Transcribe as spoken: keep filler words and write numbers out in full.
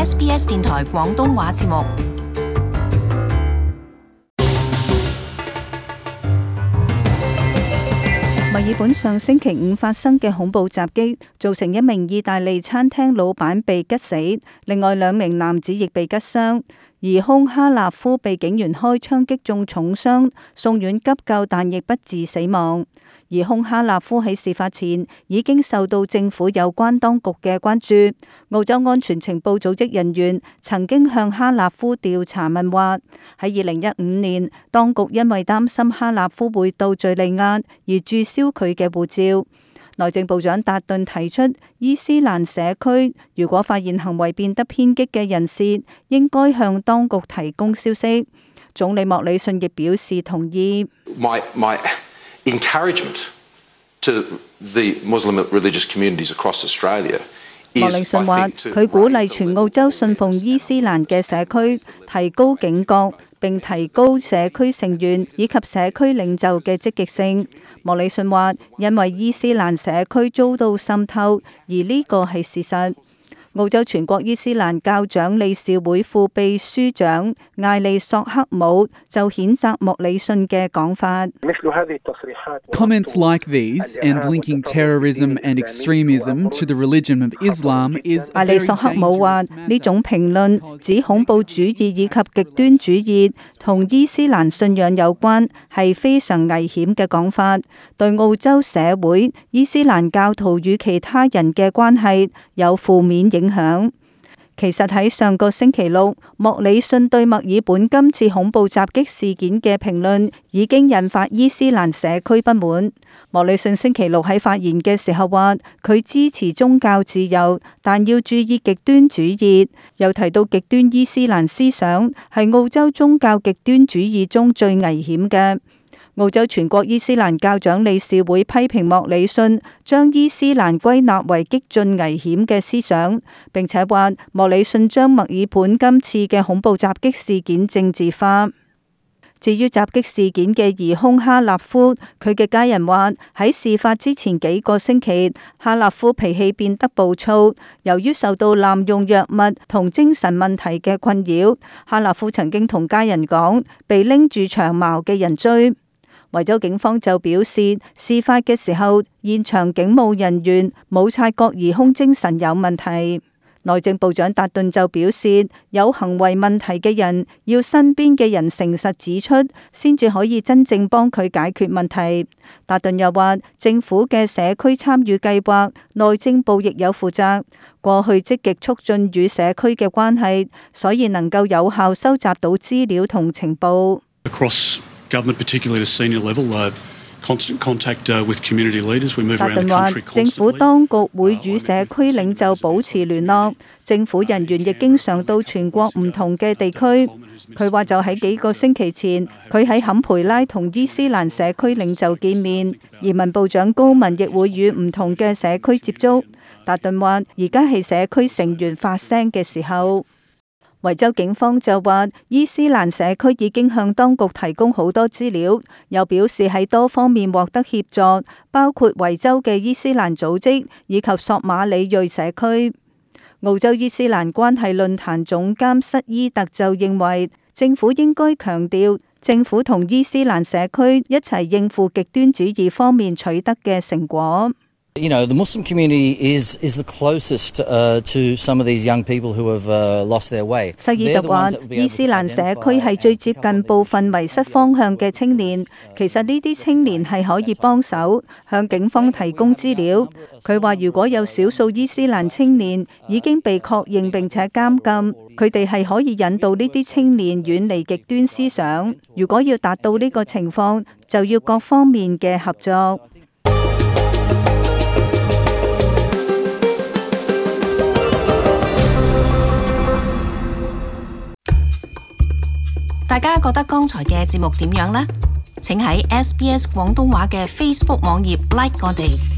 S B S 電台廣東話節目。墨爾本上星期五發生嘅恐怖襲擊，造成一名意大利餐廳老闆被吉死，另外兩名男子亦被吉傷。疑兇哈納夫被警員開槍擊中重傷，送院急救，但亦不治死亡。疑兇哈納夫喺事發前已經受到政府有關當局嘅關注。澳洲安全情報組織人員曾經向哈納夫調查問話。喺二零一五年，當局因為擔心哈納夫會到敘利亞而註銷佢嘅護照。內政部長達頓提出，伊斯蘭社區如果發現行為變得偏激嘅人士，應該向當局提供消息。總理莫里遜亦表示同意。My, my encouragement to the Muslim religious communities across Australia。莫里遜話：佢鼓勵全澳洲信奉伊斯蘭嘅社區提高警覺，並提高社區成員以及社區領袖嘅積極性。莫里遜話：因為伊斯蘭社區遭到滲透，而呢個係事實。澳洲全國伊斯蘭教長理事會副秘書長艾利索克姆就譴責莫里遜嘅講法。Comments like these and linking terrorism and extremism to the religion of Islam is 艾利索克姆話：呢種評論指恐怖主義以及極端主義同伊斯蘭信仰有關，係非常危險嘅講法，對澳洲社會、伊斯蘭教徒與其他人嘅關係有負面影響。其實喺上個星期六，莫里遜對墨爾本今次恐怖襲擊事件嘅評論已經引發伊斯蘭社區不滿。莫里遜星期六喺發言嘅時候話，佢支持宗教自由，但要注意極端主義。又提到極端伊斯蘭思想係澳洲宗教極端主義中最危險嘅。澳洲全國伊斯蘭教長理事會批評莫里遜將伊斯蘭歸納為激進危險嘅思想，並且話莫里遜將墨爾本今次嘅恐怖襲擊事件政治化。至於襲擊事件嘅疑兇哈納夫，佢嘅家人話喺事發之前幾個星期，哈納夫脾氣變得暴躁，由於受到濫用藥物同精神問題嘅困擾，哈納夫曾經同家人講被拎住長矛嘅人追。維州警方就表示，事發嘅時候，現場警務人員冇察覺疑兇精神有問題。內政部長達頓就表示，有行為問題嘅人要身邊嘅人誠實指出，先至可以真正幫佢解決問題。達頓又話，政府嘅社區參與計劃，內政部亦有負責。過去積極促進與社區嘅關係，所以能夠有效收集到資料同情報。Government, particularly at a senior level, uh, constant contact uh, with community leaders. We move around the country constantly. 政府當局會與社區領袖保持聯絡，政府人員亦經常到全國唔同嘅地區。佢話就喺幾個星期前，佢喺坎培拉同伊斯蘭社區領袖見面，移民部長高文亦會與唔同嘅社區接觸。達頓話：而家係社區成員發聲嘅時候。維州警方就話，伊斯蘭社區已經向當局提供好多資料，又表示喺多方面獲得協助，包括維州嘅伊斯蘭組織以及索馬里裔社區。澳洲伊斯蘭關係論壇總監塞伊特就認為，政府應該強調政府同伊斯蘭社區一齊應付極端主義方面取得嘅成果。You know, the Muslim community is is the closest uh, to some of these young people who have uh, lost their way. 塞爾特話，伊斯蘭社區係最接近部分迷失方向嘅青年。其實呢啲青年係可以幫手向警方提供資料。佢話，如果有少數伊斯蘭青年已經被確認並且監禁，佢哋係可以引導呢啲青年遠離極端思想。如果要達到呢個情況，就要各方面嘅合作。大家覺得剛才嘅節目點樣呢？請喺 S B S 廣東話嘅 Facebook 網頁 like 我哋。